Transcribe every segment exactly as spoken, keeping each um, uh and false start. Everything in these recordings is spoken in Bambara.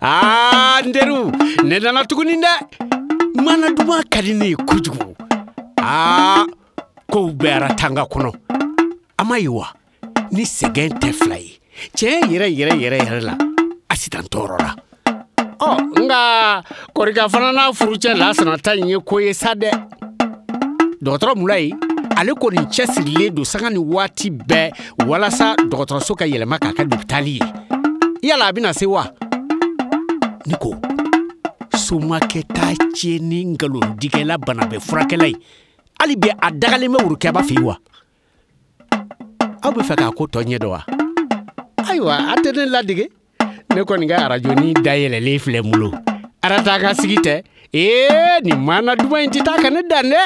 Aa n teriw, ne nana tuguni dɛ. Mana duman ka di ne ye kojugu. Aa kow bɛ Aratanga kɔnɔ. A ma ye wa, ni sɛgɛn tɛ fila ye. Tiɲɛ yɛrɛ yɛrɛ yɛrɛ yɛrɛ la, Asitan tɔɔrɔla. Ɔ nka Kɔrika fana n'a furucɛ Lasana ta in ye ko ye sa dɛ. Dɔgɔtɔrɔ Mulayi, ale kɔni cɛsirilen don sanga ni waati bɛɛ walasa dɔgɔtɔrɔso ka yɛlɛma k'a kɛ lopitali ye. Yala a bɛna se wa? Ne ko somakɛ t'a tiɲɛ ni nkalondigɛla banabɛɛ furakɛla ye. Hali bi a dagalen bɛ Worokɛba fɛ yen wa? Aw bɛ fɛ k'a ko tɔ ɲɛ dɔn wa? Ayiwa, a tɛ ne ladege. Ne kɔni ka arajoni dayɛlɛlen filɛ n bolo. Aratanga sigi tɛ. Ee nin maana duman in tɛ taa ka ne dan dɛ.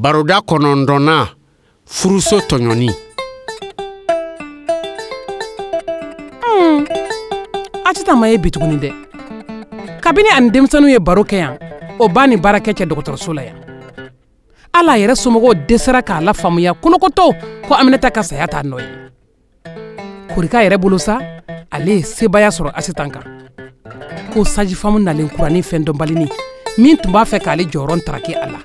Baroda kɔnɔntɔnnan, furuso tɔɲɔni. Hmm. Asitan ma ye bi tuguni dɛ. Kabini ani denmisɛnninw ye baro kɛ yan, o ba ni baarakɛ cɛ dɔgɔtɔrɔso la yan. Ala yɛrɛ somɔgɔw dɛsɛra k'a la faamuya kolokoto ko Aminata ka saya t'a nɔ ye. Korika yɛrɛ bolo sa, ale ye sebaaya sɔrɔ Asitan kan. Ko sajifamu nalen kuranin fɛn dɔnbalinin min tun b'a fɛ k'ale jɔyɔrɔ ntaraki a la.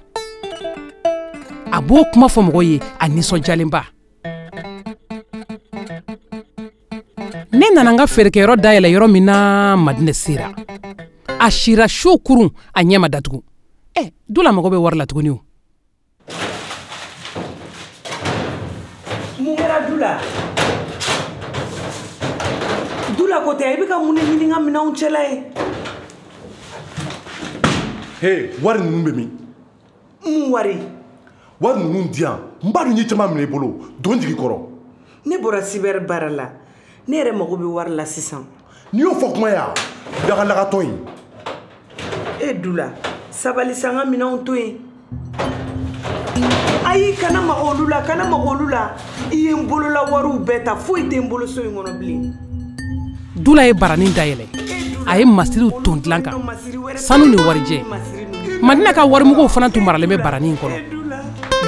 A b'o kuma fɔ mɔgɔw ye a nisɔndiyalenba. Ne nana n ka feerekɛyɔrɔ dayɛlɛ yɔrɔ min na, Madinɛ sera. A sira su kurun, a ɲɛ ma datugu. Ɛ, Dula mago bɛ wari la tuguni o. Mun kɛra Dula? Dula ko tɛ, i bɛ ka mun de ɲini n ka minɛnw cɛla ye? He, wari ninnu bɛ min? Mun wari? Wari ninnu di yan, n b'a dɔn n ye caman minɛ i bolo, don jigi kɔrɔ. Ne bɔra cyber baara la, ne yɛrɛ mago bɛ wari la sisan. N'i y'o fɔ kuma ya, dagalagatɔ in. E Dula, sabali sa, n ka minɛnw to yen. Ayi, kana maga olu la, kana maga olu la. I ye n bolola wariw bɛɛ ta, foyi tɛ n bolo so in kɔnɔ bilen. Dula ye baranin dayɛlɛ. A ye masiriw ton dilan kan, sanu ni warijɛ. Madina ka warimuguw fana tun maralen bɛ baranin in kɔnɔ.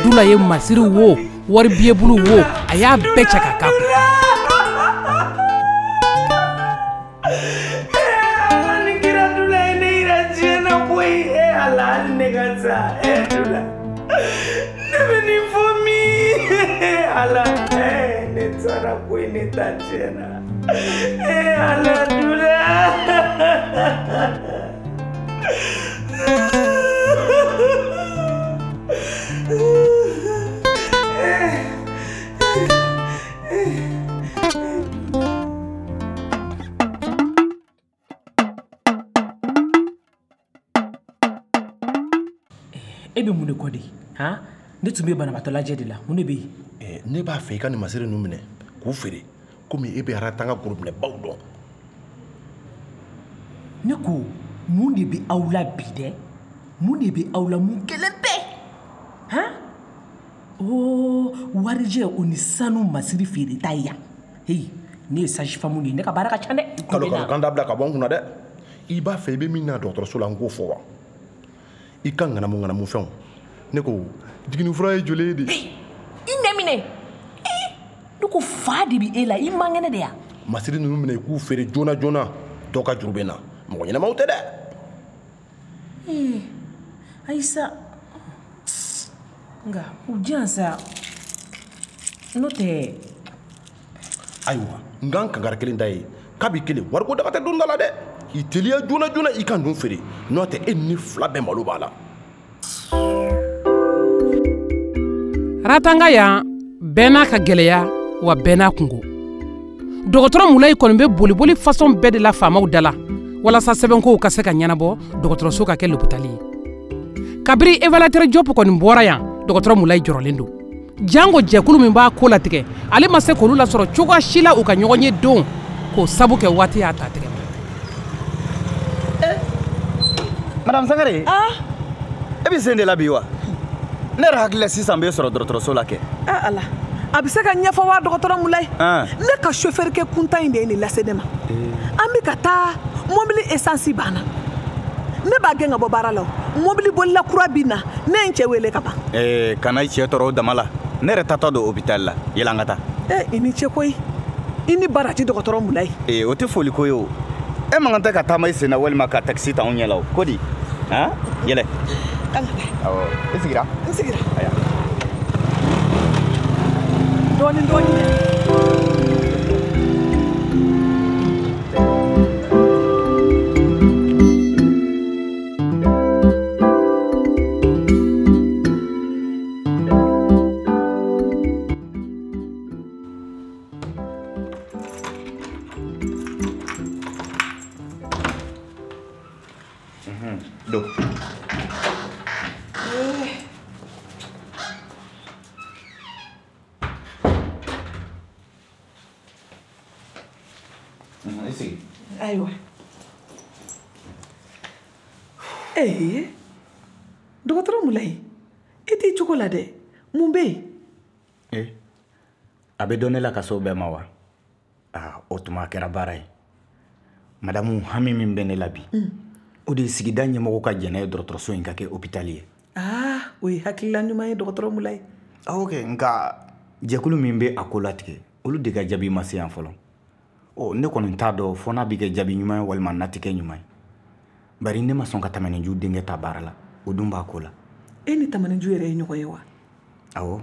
Dula ye masiriw wo, wari biyebulu wo, a y'a bɛɛ cɛ ka k'a kun. Ala ni kira, Dula ye ne yira diɲɛ na koyi. E Ala, hali ne ka sa. E Dula, ne bɛ nin fɔ min? Ala, ne taara koyi, ne ta diɲɛ na. E Ala, Dula. E bɛ mun de kɔ de? Han? Ne tun bɛ banabaatɔ lajɛ de la. Mun de bɛ yen? Eh, ne b'a fɛ i ka nin masiri ninnu minɛ k'u feere komi e bɛ Aratanga gorobinɛbaw dɔn. Ne ko mun de bɛ aw la bi dɛ? Mun de bɛ aw la, mun kelen bɛɛ? Han? Oh, warijɛ o ni sanu masiri feere ta ye yan. Hey, ne ye sage-femme de ye, ne ka baara ka ca dɛ. Kalo kalo kan dabila ka bɔ n kunna dɛ. I b'a fɛ i bɛ min na dɔgɔtɔrɔso la, n k'o fɔ wa? I ka ŋanamu ŋanamu fɛnw. Ne ko jiginni fura ye joli ye de? I nɛ minɛ. Ne ko fa de bɛ e la, i man kɛnɛ de ya. Masiri ninnu minɛ i k'u feere joona joona, dɔ ka juru bɛ n na. Mɔgɔ ɲɛnamaw tɛ dɛ. Ee, ayi sa. Nka u di yan sa. N'o tɛ Ayiwa n k'an kankari kelen da ye kabi kelen wariko daga tɛ don da la dɛ. I teliya joona joona i ka ninnu feere, n'o tɛ e ni fila bɛɛ malo b'a la. Ratanga yan bɛɛ n'a ka gɛlɛya wa bɛɛ n'a kungo. Dɔgɔtɔrɔ Mulayi kɔni bɛ boliboli façon bɛɛ de la faamaw da la walasa sɛbɛnkow ka se ka ɲɛnabɔ dɔgɔtɔrɔso ka kɛ lopitali ye. Kabiri évaluateur Diop kɔni bɔra yan, dɔgɔtɔrɔ Mulayi jɔrɔlen don. Jango jɛkulu min b'a ko latigɛ, ale ma se k'olu lasɔrɔ cogoya si la u ka ɲɔgɔn ye don, k'o sabu kɛ waati y'a ta tigɛ ma. Eh, Madame Sangare. Ah, e bɛ sen de la bi wa? Ne yɛrɛ hakili la sisan bɛ sɔrɔ dɔgɔtɔrɔso la kɛ. Ah Ala, a bɛ se ka ɲɛfɔ wa dɔgɔtɔrɔ Mulayi? Ne ka chauffeur kɛ kuntan in de ye nin lase ne ma. An bɛ ka taa mobili essence banna. Ne b'a gɛn ka bɔ baara la o. Mobili bolila kura bɛ na, ne ye n cɛ wele ka ban. Ee, kana i cɛ tɔɔrɔ o dama la. Ne yɛrɛ taatɔ don hôpital la. Yɛlɛ an ka taa. Ee, i ni ce koyi. I ni baraji dɔgɔtɔrɔ Mulayi. Ee, o tɛ foli ko ye o. E man kan tɛ ka taama i sen na walima ka taxi ta anw ɲɛ la o. Ko di? Han? Yɛlɛ. An ka taa. Awɔ. I sigira? N sigira. Aya. Dɔɔni dɔɔni dɛ. Don. I sigi. Ayiwa. Ee, dɔgɔtɔrɔ Mulayi, i t'i cogo la dɛ. Mun bɛ yen? Ee, a bɛ dɔn ne la ka s'o bɛɛ ma wa? Aa, o tuma a kɛra baara ye. Madamu, hami min bɛ ne la bi, o de ye sigida ɲɛmɔgɔ ka jɛn n'a ye dɔgɔtɔrɔso in ka kɛ hôpital ye. Aa, o ye hakilila ɲuman ye dɔgɔtɔrɔ Mulayi. Awɔ kɛ, nka jɛkulu min bɛ a ko latigɛ, olu de ka jaabi ma se yan fɔlɔ. Ɔ, ne kɔni t'a dɔn fɔ n'a bɛ kɛ jaabi ɲuman ye walima n'a tɛ kɛ ɲuman ye. Bari ne ma sɔn ka Tamaninju denkɛ ta baara la, o dun b'a ko la. E ni Tamaninju yɛrɛ ye ɲɔgɔn ye wa? Awɔ,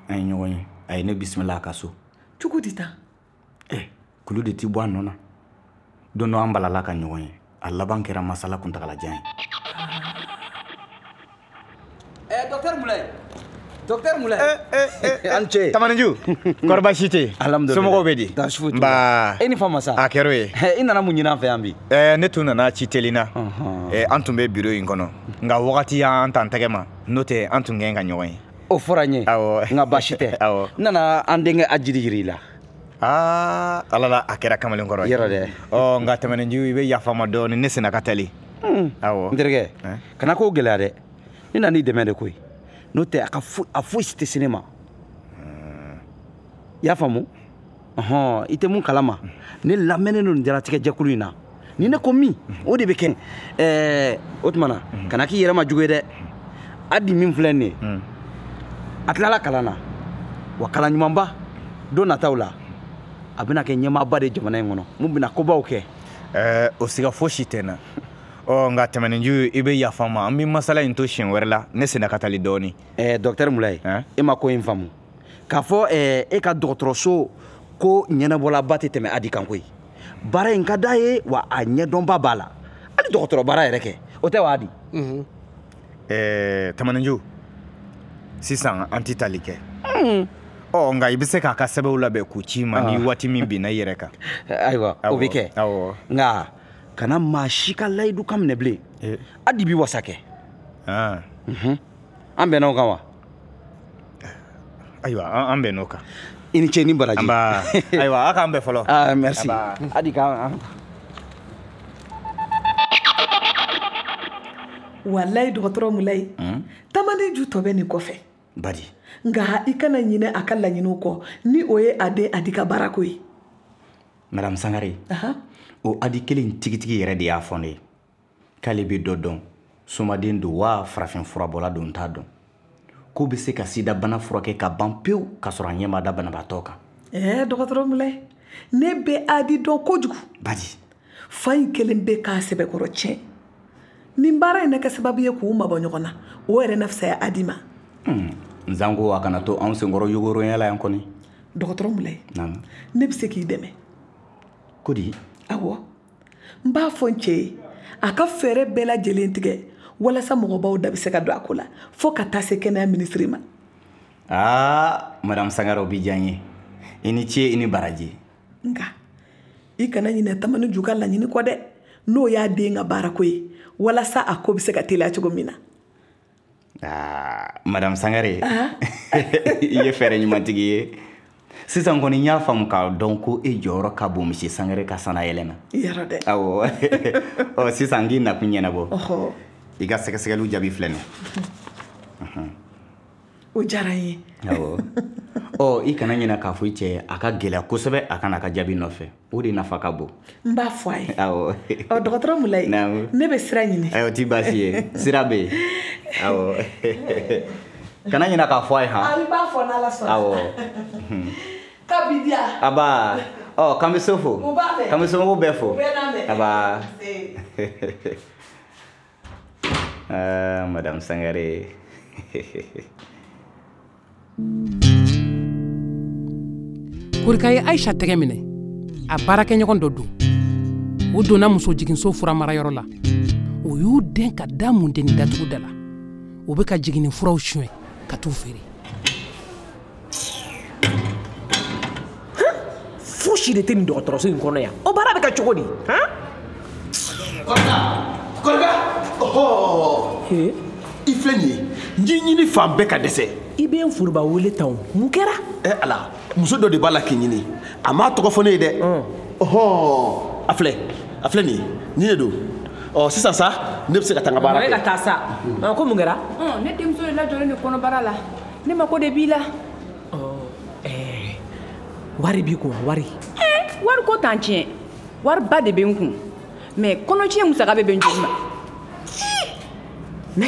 an ye ɲɔgɔn ye. A ye ne bisimila a ka so. Cogo di tan? Eh, kulu de ti bɔ a nɔ na. Don dɔ an balala ka ɲɔgɔn ye. A laban kɛra masala kuntagalajan ye. Eh, docteur Mulayi. Docteur Mulayi. Eh, eh, eh, An ce. Tamaninju, kɔri baasi tɛ yen? Alhamdulillah. Somɔgɔw bɛ di? Baasi foyi t'u Nba. la. E ni fama sa. A kɛra o ye. I nana mun ɲini an fɛ yan bi? Eh, ne tun nana ci teli na. Ɔnhɔn. Eh, an tun bɛ bureau in kɔnɔ. Nka wagati y'an t'an tɛgɛ ma. N'o tɛ an tun kɛn ka ɲɔgɔn ye. O fɔra n ye. Awɔ. Nka baasi tɛ. Awɔ. N nana an denkɛ Ajiri yir'i la. Aa, Ala la a kɛra kamalen kɔrɔ ye. Yɔrɔ dɛ. Ɔ, nka Tamaninju, i bɛ yafa n ma dɔɔni, ne senna ka teli. Awɔ. N terikɛ, Hein? kana kow gɛlɛya dɛ. Ne nan'i dɛmɛ de koyi. N'o tɛ a ka foyi a foyi si tɛ se ne ma. I y'a faamu? Ɔhɔn, i tɛ mun kalama. Ne lamɛnnen don nin diɲɛlatigɛ jɛkulu in na. Ni ne ko min, o de bɛ kɛ. Ɛɛ, o tuma na, kana k'i yɛrɛ ma jugu ye dɛ. Adi min filɛ nin ye, a tilala kalan na. Wa kalan ɲumanba, don nataw la, a bɛna kɛ ɲɛmaaba de ye jamana in kɔnɔ. Mun bɛna kobaw kɛ. Ɛɛ, o siga fosi tɛ n na. Ɔ, nka Tamaninju, i bɛ yafa n ma. An bɛ masala in to siɲɛ wɛrɛ la. Ne senna ka teli dɔɔni. Ɛɛ, docteur Mulayi, Hein? e ma ko in faamu. K'a fɔ ɛɛ, e ka dɔgɔtɔrɔso ko ɲɛnabɔlaba tɛ tɛmɛ Adi kan koyi. Baara in ka d'a ye wa a ɲɛdɔnba b'a la. Hali dɔgɔtɔrɔ baara yɛrɛ kɛ. O tɛ wa Adi? Ɛɛ, Tamaninju, sisan an tɛ tali kɛ. Ɔ, nka i bɛ se k'a ka sɛbɛnw labɛn k'u ci ma ni waati min binna i yɛrɛ kan. Ayiwa, o bɛ kɛ. Awɔ. Nka kana maa si ka layidu kan minɛ bilen. Eh. Adi b'i wasa kɛ. Ah. An bɛnna o kan wa? Ayiwa, an an bɛnn'o kan. I ni ce ni baraji. Nba. Ayiwa, a k'an bɛn fɔlɔ. Ah, merci. Nba. Adi k'an Walayi dɔgɔtɔrɔ Mulayi. Tamaninju tɔ bɛ nin kɔfɛ. Badi. Nka i kana ɲinɛ a ka laɲiniw kɔ ni o ye a den Adi ka baarako ye. Madame Sangare, Ahan. o Adi kelen in tigitigi yɛrɛ de y'a fɔ ne ye. K'ale bɛ dɔ dɔn, somaden don wa farafin furabɔla don n t'a dɔn. K'o bɛ se ka sidabana furakɛ ka ban pewu k'a sɔrɔ a ɲɛ ma da banabaatɔ kan. Ɛɛ dɔgɔtɔrɔ Mulayi, ne bɛ Adi dɔn kojugu. Badi. Fa in kelen bɛ k'a sɛbɛkɔrɔ tiɲɛ. Nin baara in na kɛ sababu ye k'u mabɔ ɲɔgɔn na, o yɛrɛ na fisaya Adi ma. Hmm. Nzango a kana to anw senkɔrɔ yogoronya la yan kɔni. Dɔgɔtɔrɔ Mulayi, naamu, ne bɛ se k'i dɛmɛ. Ko di? Awɔ, n b'a fɔ n cɛ ye a ka fɛɛrɛ bɛɛ lajɛlen tigɛ walasa mɔgɔbaw da bɛ se ka don a ko la fo ka taa se kɛnɛya minisiri ma. Aa, madame Sangare, o b'i diya n ye. I ni ce, i ni baraji. Nka i kana ɲinɛ Tamani ju ka laɲini kɔ dɛ, n'o y'a den ka baarako ye walasa a ko bɛ se ka teliya cogo min na. Aa, madame Sangare, i ye fɛɛrɛ ɲumantigi ye. Sisan kɔni n y'a faamu k'a dɔn ko e jɔyɔrɔ ka bon monsieur Sangare ka sannayɛlɛn na. Yɔrɔ dɛ. Awɔ. Ɔ, sisan n k'i nakun ɲɛnabɔ. Ɔhɔ. I ka sɛgɛsɛgɛliw jaabi filɛ nin ye. O diyara n ye. Awɔ. Ɔ, i kana ɲinɛ k'a fɔ i cɛ a ka gɛlɛya kosɛbɛ a ka n'a ka jaabi nɔfɛ. O de nafa ka bon. N b'a fɔ a ye. Awɔ. Ɔ, dɔgɔtɔrɔ Mulayi, naamu, ne bɛ sira ɲini. Ayiwa, o t'i baasi ye. Sira bɛ yen. Awɔ. Kana ɲinɛ k'a fɔ a ye han. A b'a fɔ n'Ala sɔnna. Awɔ. Kabidiya. Aba. Ɔ, k'an bɛ so fo. U b'a mɛn. K'an bɛ somɔgɔw bɛɛ fo. U bɛɛ n'a mɛn. Aba. Ah, madame Sangare. Korika ye Aisha tɛgɛ minɛ, a baarakɛɲɔgɔn dɔ don. O donna muso jiginso furamarayɔrɔ la. O y'u den ka da mundeni datugu da la. O bɛ ka jiginni furaw suɲɛ ka t'u feere. Fosi de tɛ nin dɔgɔtɔrɔso in kɔnɔ yan. O baara bɛ kɛ cogo di? Han? Korika! Korika! Ɔhɔ! I filɛ nin ye, n y'i ɲini fan bɛɛ ka dɛsɛ. I bɛ n foroba wele tan o, mun kɛra? Ɛ Ala, muso dɔ de b'a la k'i ɲini. A m'a tɔgɔ fɔ ne ye dɛ. Ɔhɔ! A filɛ, a filɛ nin ye, nin de don. Ɔ, sisan sa, ne bɛ se ka taa n ka baara kɛ. E ka taa sa. Ko mun kɛra? Ne denmuso de lajɔlen don kɔnɔbara la. Ne mako de b'i la. Ɛɛ, wari b'i kun wa, wari? Ɛɛ, wari ko t'an tiɲɛ. Wariba de bɛ n kun. Mais kɔnɔtiɲɛ musaka bɛ bɛn joli ma? Na.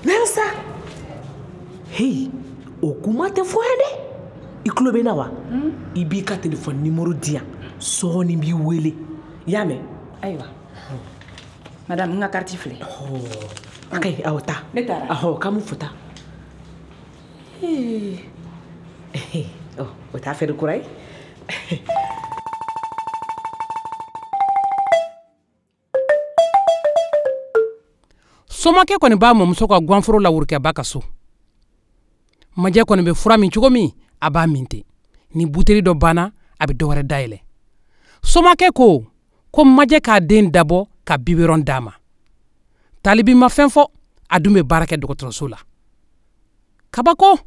Na sa. Hey, o kuma tɛ fɔ yan dɛ. I tulo bɛ n na wa? I b'i ka téléphone numéro di yan. Sɔɔni n b'i wele. I y'a mɛn? Ayiwa. Madame, n ka carte filɛ. A ka ɲi, awɔ taa. Ne taara. Ɔhɔ, k'an m'u fo taa. Ee, ɔ, o t'a fɛɛrɛ kura ye. Somakɛ kɔni b'a mɔmuso ka ganforo la Worokɛba ka so. Majɛ kɔni bɛ fura min cogo min, a b'a min ten. Ni buteli dɔ banna, a bɛ dɔ wɛrɛ dayɛlɛ. Somakɛ ko ko Majɛ k'a den dabɔ ka biberon d'a ma. Talibi ma fɛn fɔ, a dun bɛ baara kɛ dɔgɔtɔrɔso la. Kabako!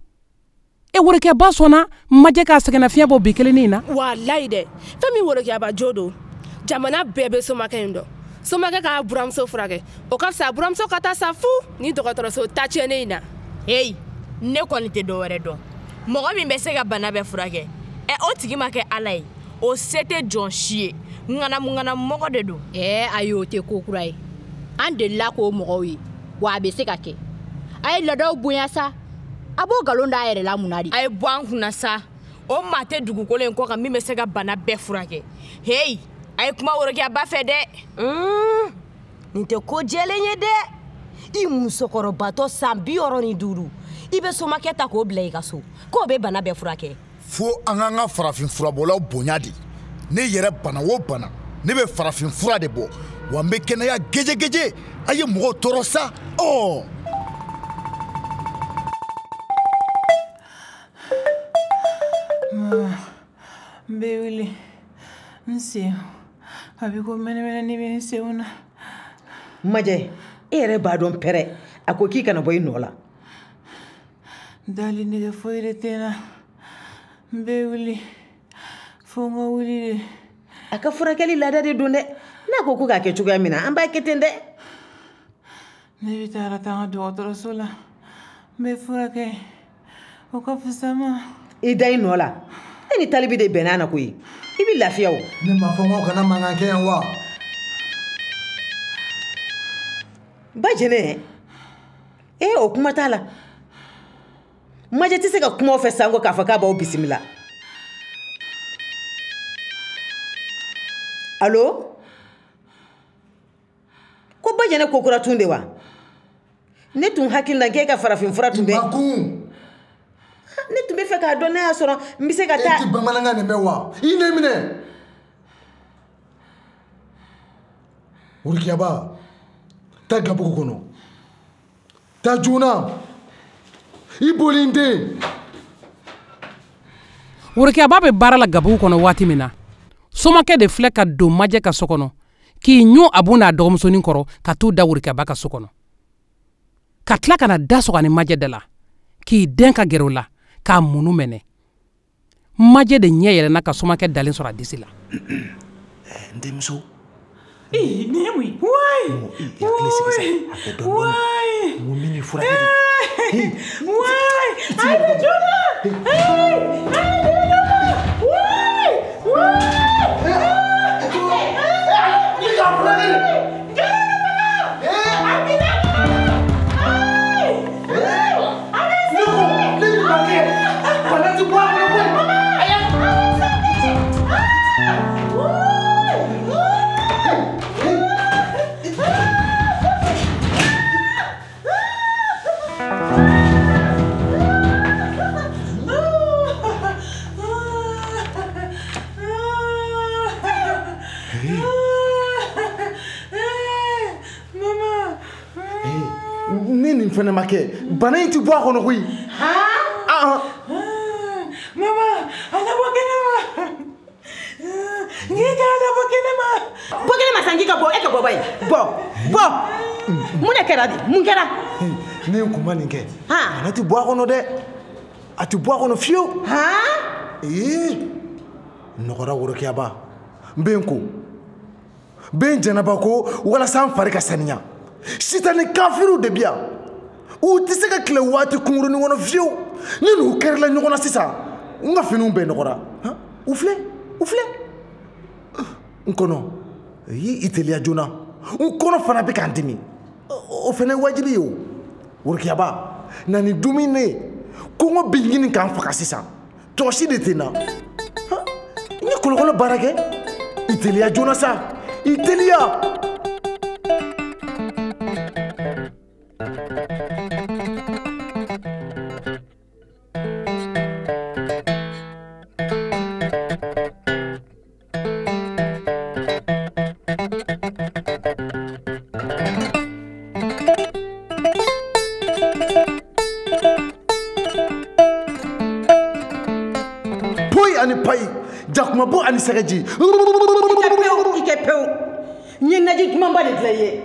E Worokɛba sɔnna Majɛ k'a sɛgɛnnafiɲɛ bɔ bi kelennin in na. Walayi dɛ, fɛn min Worokɛba jo don, jamana bɛɛ bɛ somakɛ in dɔn. Somakɛ k'a buramuso furakɛ, o ka fisa buramuso ka taa sa fu ni dɔgɔtɔrɔso ta tiɲɛnen in na. Heyi, ne kɔni tɛ dɔwɛrɛ dɔn. Mɔgɔ min bɛ se ka bana bɛɛ furakɛ, ɛ o tigi ma kɛ Ala ye, o se tɛ jɔn si ye. Ŋanamu ŋanamu mɔgɔ de don. Ɛɛ ayi, o tɛ ko kura ye. An delila k'o mɔgɔw ye, wa a bɛ se ka kɛ. A ye laadaw bonya sa. A b'o nkalon d'a yɛrɛ la mun na de? A ye bɔ an kunna sa. O maa tɛ dugukolo in kɔ kan min bɛ se ka bana bɛɛ furakɛ. Heyi, a ye kuma Worokɛba fɛ dɛ. Nin tɛ ko jɛlen ye dɛ. I musokɔrɔbatɔ san bi wɔɔrɔ ni duuru, i bɛ somakɛ ta k'o bila i ka so k'o bɛ bana bɛɛ furakɛ. Fo an k'an ka farafin furabɔlaw bonya de. Ne yɛrɛ bana o bana, ne bɛ farafin fura de bɔ, wa n bɛ kɛnɛya gejegeje. A ye mɔgɔw tɔɔrɔ sa. Ɔ. N bɛ wuli, n sen a bɛ ko mɛnɛmɛnɛ bɛ n senw na. Majɛ, e yɛrɛ b'a dɔn pɛrɛ, a ko k'i kana bɔ i nɔ la. Dali nege foyi de tɛ n na. N bɛ wuli fo n ka wuli de. A ka furakɛli laada de don dɛ. N'a ko ko k'a kɛ cogoya min na, an b'a kɛ ten dɛ. Ne bɛ taa ka taa n ka dɔgɔtɔrɔso la, n bɛ furakɛ, o ka fisa n ma. I da i nɔ la. E ni Talibi de bɛnna na koyi. I bɛ lafiya o. Ne m'a fɔ k'aw kana mankan kɛ yan wa? Ba Jɛnɛ, e o kuma t'a la. Majɛ tɛ se ka kuma aw fɛ sanko k'a fɔ k'a b'aw bisimila. Allo? Ko Ba Jɛnɛ ko kura tun de wa? Ne tun hakili la k'e ka farafin fura tun bɛ. Makun! Ne tun bɛ fɛ fɛ k'a dɔn n'a y'a sɔrɔ n bɛ se ka taa. E ti bamanankan de mɛn wa? I ne minɛ. Worokiyaba, taa gabugu kɔnɔ. Taa joona. I boli n den. Worokiyaba bɛ baara la gabugu kɔnɔ waati min na, somakɛ de filɛ ka don Majɛ ka so kɔnɔ k'i ɲun Abu n'a dɔgɔmusonin kɔrɔ ka t'u da Worokiyaba ka so kɔnɔ. Ka tila ka na da sɔgɔ ani Majɛ da la k'i den ka gɛrɛ o la k'a munu mɛnɛ. Majɛ de ɲɛ yɛlɛnna ka somakɛ dalen sɔrɔ a disi la. N denmuso. Ee, nin ye mun ye? Wayi! I hakili sigi sa, a kɛ dɔɔni dɔɔni. N ko min ye furakɛ de. Wayi! A ye ne joona! Ee, a ye ne joona! Wayi! Wayi! Ne k'a furakɛ de. Ne nin fɛnɛ ma kɛ bana in ti bɔ a kɔnɔ koyi. Han? Mama, a labɔ kɛnɛma. N k'i k'a labɔ kɛnɛma. Bɔ kɛnɛma sa, n k'i ka bɔ, e ka bɔ ba ye. Bɔ, bɔ. Mun de kɛra de? Mun kɛra? Ne kun ma nin kɛ. Bana ti bɔ a kɔnɔ dɛ. A ti bɔ a kɔnɔ fiyewu. Han? Ee, nɔgɔra Worokiyaba. N bɛ n ko. N bɛ n jɛnɛba ko walasa n fari ka saniya. Sitani kafiriw de bi yan. U tɛ se ka tile waati kunkurunin kɔnɔ fiyewu. Ni n'u kɛrila ɲɔgɔn na sisan, n ka finiw bɛɛ nɔgɔra. U filɛ, u filɛ. N kɔnɔ, i teliya joona. N kɔnɔ fana bɛ ka n dimi. O fana ye wajibi ye o. Worokiyaba, na ni dumuni ye. Kɔngɔ bɛ ɲini k'an faga sisan. Tɔ si de tɛ n na. N ye kɔlɔkɔlɔ baara kɛ. I teliya joona sa. I teliya. Jakumabo ani sɛgɛji. I kɛ pewu. N ye naji dumanba de dilan i ye.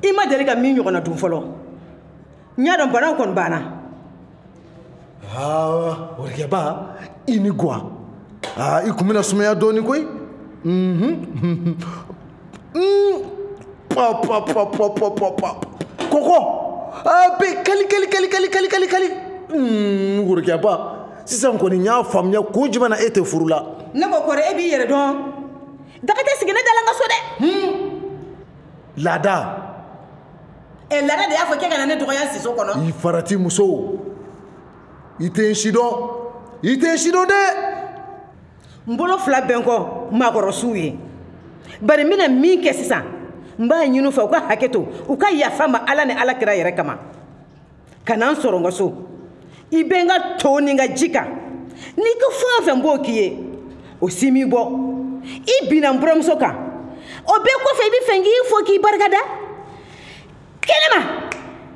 I ma deli ka min ɲɔgɔnna dun fɔlɔ. N y'a dɔn banaw kɔni banna. Aa, Worokiyaba, i ni guwa. Aa, i kun bɛna sumaya dɔɔnin koyi. Unhun. Pa pa pa pa pa pa pa. Kɔkɔ. A bɛ kali kali kali kali kali kali kali. Worokiyaba. Sisan kɔni n y'a faamuya kun jumɛn na e tɛ furu la. Ne ko kɔrɔ e b'i yɛrɛ dɔn. Daga tɛ sigi ne da la n ka so dɛ. Laada. Ɛ laada de y'a fɔ k'e ka na ne dɔgɔya siso kɔnɔ. I farati muso. I tɛ n si dɔn. I tɛ n si dɔn dɛ. N bolo fila bɛ n kɔ maakɔrɔsiw ye. Bari n bɛna min kɛ sisan, n b'a ɲini u fɛ u ka hakɛ to, u ka yafa n ma Ala ni Ala kira yɛrɛ kama. Ka na n sɔrɔ n ka so. I bɛ n ka to ni n ka ji kan. N'i ko fɛn o fɛn n b'o k'i ye, o si m'i bɔ. I binna n buramuso kan. O bɛɛ kɔfɛ i bɛ fɛ n k'i fo k'i barikada. Kɛnɛma,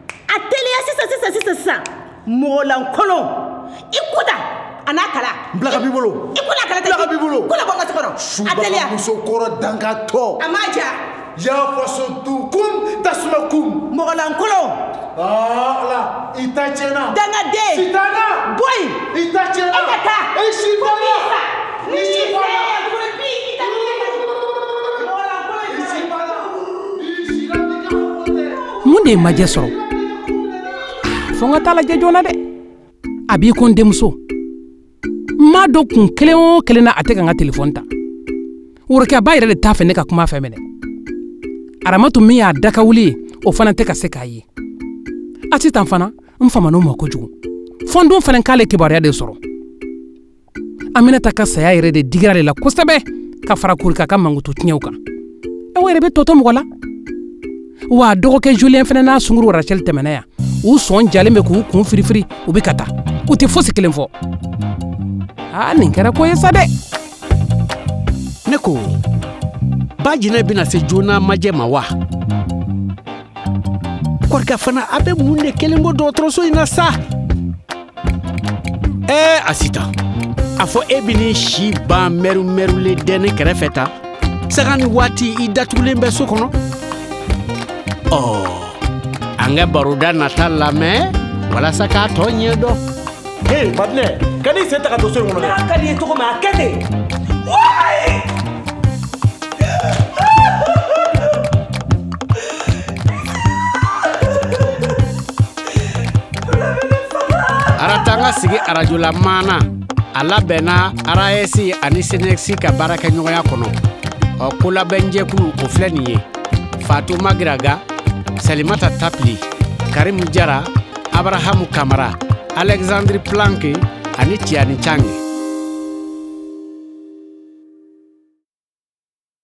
a teliya sisan sisan sisan sisan. Mɔgɔlankolon, i kuta a n'a kala. N bila ka b'i bolo. I ko n'a kala tɛ. Bila ka b'i bolo. Ko la bɔ n ka so kɔnɔ. A teliya. Subaga muso kɔrɔ dankatɔ. A m'a ja. Ya faso dun kum tasuma kum. Mɔgɔlankolon. Ah ala, i ta tiɲɛna. Dangaden. Sitana. Bɔ yen. I ta tiɲɛna. E ka taa. E sitana. N'i sera yan tuguni bi i ta Mun de ye Majɛ sɔrɔ? Fo n ka taa lajɛ joona dɛ. A b'i ko n denmuso. N m'a dɔn kun kelen o kelen na a tɛ ka n ka telefɔni ta. Worokiyaba yɛrɛ de t'a fɛ ne ka kuma a fɛ minɛ. Aramatu min y'a da ka wuli ye, o fana tɛ ka se k'a ye. Asitan fana, n faman'o ma kojugu. Fo n dun fana k'ale kibaruya de sɔrɔ. Aminata ka saya yɛrɛ de digira ale la kosɛbɛ ka fara Korika ka mankutu tiɲɛw kan. E o yɛrɛ bɛ tɔ to mɔgɔ la. Wa dɔgɔkɛ Julien fana n'a sunkuru Rachel tɛmɛna yan. U sɔn jalen bɛ k'u kun firifiri, u bɛ ka taa. U tɛ fosi kelen fɔ. Aa, nin kɛra ko ye sa dɛ. Ne ko, ba jinɛ bɛna se joona majɛ ma wa? Kɔrika fana, a bɛ mun de kelen bɔ dɔgɔtɔrɔso in na sa? Ɛɛ Asitan, a fɔ e bɛ n'i si ban mɛru-mɛrulen dɛnɛ kɛrɛfɛ tan, saga ni waati i datugulen bɛ so kɔnɔ. Ɔ, an ka baroda nata lamɛn walasa k'a tɔ ɲɛ dɔn. Hey, Madinɛ, kan'i sen ta ka don so in kɔnɔ dɛ. N'a ka di i ye cogo min, a kɛ ten. Wayi! Aratanga sigi arajola maana a labɛnna A R A S ani SYNECS ka baarakɛɲɔgɔnya kɔnɔ. Ɔ, kolabɛnjɛkulu o filɛ nin ye: Fatu Magiraga, Salimata Tapili, Karimu Jara, Abrahamu Kamara, Alexandre Planke ani Tiani Change.